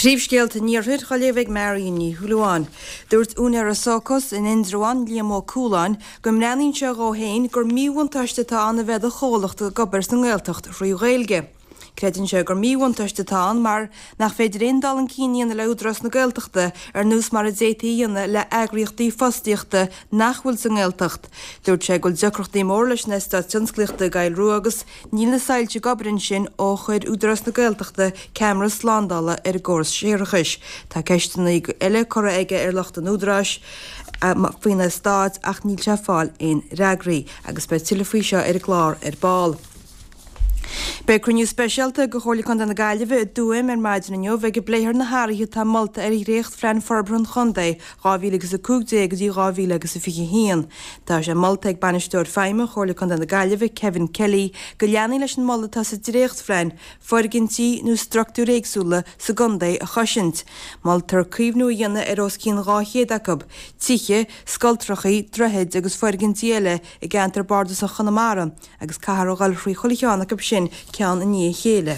Príomhscéalta an Iarthair á léamh ag Marion Ní Shúilleabháin. Dúirt úinéir Socos in Indreabhán, Liam Ó Cualáin, go mbreathnaíonn sé dhó féin gur míbhuntáiste atá ann a bheith i do chomhlacht ag obair sa nGaeltacht thrí Ghaeilge. Creideann sé gur míbhuntáiste atá ann mar nach féidir aon dul chun cinn a dhéanamh le Údarás na Gaeltachta ar nós mar a d'fhéadfaí a dhéanamh le eagraíochtaí fostaíochta nach bhfuil sa nGaeltacht. Dúirt sé go bhfuil deacrachtaí móra leis an eastát tionsclaíochta i gCoill Rua agus Níl na soilse ag obair ansin ó chuir Údarás na Gaeltachta ceamara slándála ar an gcóras séarachais. Tá ceisteanna eile curtha aige ar lucht an Údaráis faoin eastát ach níl sé ag fáil aon fhreagraí. Agus beidh tuilleadh faoi seo ar an gclár ar ball. Beidh cruinniú speisialta de Chomhairle Contae na Gaillimhe i dTuaim ar maidin inniu ag a bpléifear na hathruithe atá molta ar dhréachtphlean forbartha an chontae 2015 go dtí 2021. Tá sé molta ag Bainisteoir Feidhme Chomhairle Contae na Gaillimhe, Kevin Kelly, go leanfaí leis an moladh atá sa dréachtphlean, foirgintí nó structúir éagsúla sa gcontae a chosaint. Moltar caomhnú a dhéanamh ar os cionn 200 acu, tithe, scoltrachaí, droichid agus foirgintí eile i gceantar bardasach Chonamara agus caithfear a dhul thrí chuile cheann acu sin ceann i ndiaidh a chéile.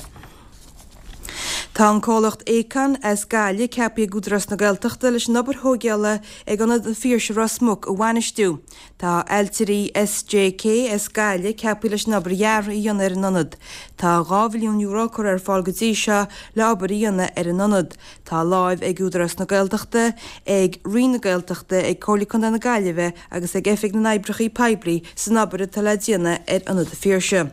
Tá an comhlacht Aecon as Gaillimh ceaptha ag Údarás na Gaeltachta leis an obair thóigeála ag Ionad an Phiarsaigh Ros Muc a bhainistiú. Tá ailtirí SJK as Gaillimh ceaptha leis an obair dheartha a dhéanamh ar an ionad. Tá €2 mhilliún curtha ar fáil go dtí seo le obair a dhéanamh ar an ionad. Tá láimh ag Údarás na Gaeltachta, ag Roinn na Gaeltachta, ag Comhairle Contae na Gaillimhe agus ag Oifig na nOibreacha Poiblí san obair atá le déanamh ar Ionad an Phiarsaigh.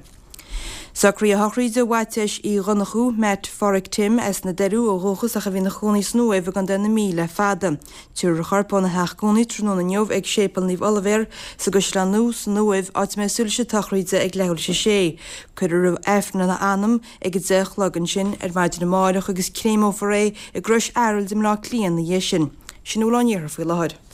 Socruithe sochraide Mhaitiais Uí Dhonnchú, Matt Pháraic Tim, as na Doiriú ó dhúchas ach a bhí ina chónaí san Uaimh i gContae na Mí le fada. Tabharfar a chorp óna theach cónaí tráthnóna inniu ag Séipéal Naomh Oilibhéar sa gCaisleán Nua san Uaimh, áit a mbeidh soilse todhchraíde ag leathuair tar éis a sé. Cuirfear Aifreann lena anam ag 10 a chlog ansin ar maidin amárach agus créamófar é i gCrois Araild i mBleá Cliath ina dhiaidh sin. Sin a bhfuil ón iarthar faoi láthair.